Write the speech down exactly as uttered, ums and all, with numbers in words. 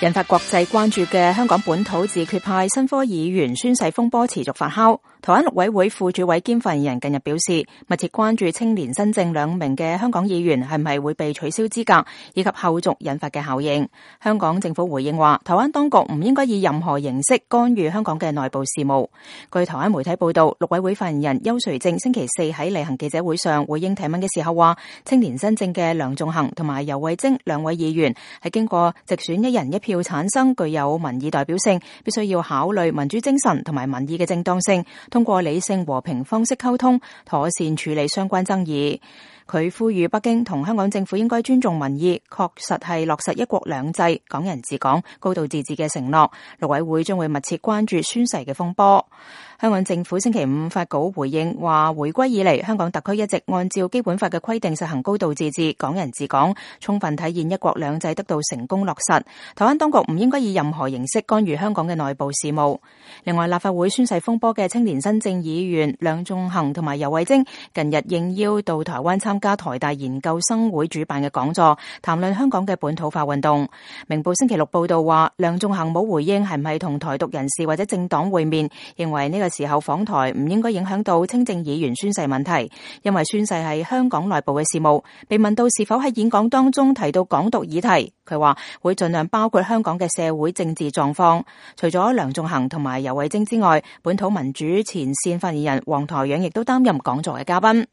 引發國際關注嘅香港本土自決派新科議員宣誓風波持續發酵。台灣陸委會副主委兼發言人近日表示，密切關注青年新政兩名嘅香港議員係咪會被取消資格，以及後續引發嘅效應。香港政府回應話，台灣當局唔應該以任何形式干預香港嘅內部事務。據台灣媒體報道，陸委會發言人邱垂正星期四喺例行記者會上回應提問嘅時候話，青年新政嘅梁頌恆同埋游蕙禎兩位議員係經過直選一人一票產生，具有民意代表性，必須要考慮民主精神同埋民意嘅正當性，通過理性和平方式溝通，妥善處理相關爭議。佢呼籲北京同香港政府應該尊重民意，確實係落實一國兩制、港人治港、高度自治嘅承諾。陸委會將會密切關注宣誓嘅風波。香港政府星期五發稿回應話，回歸以嚟，香港特區一直按照基本法嘅規定實行高度自治、港人治港，充分體現一國兩制得到成功落實。台灣當局唔應該以任何形式干預香港嘅內部事務。另外，立法會宣誓風波嘅青年新政議員梁頌恆同埋游蕙禎近日應邀到台灣參加台大研究生會主辦嘅講座，談論香港嘅本土化運動。明報星期六報道話，梁頌恆冇回應係唔係同台獨人士或者政黨會面，認為呢個時候訪台唔應該影響到青政議員宣誓問題，因為宣誓係香港內部嘅事務。被問到是否喺演講當中提到港獨議題，佢話會盡量包括香港嘅社會政治狀況。除咗梁頌恆同埋游蕙禎之外，本土民主前線發言人黃台仰亦都擔任講座嘅嘉賓。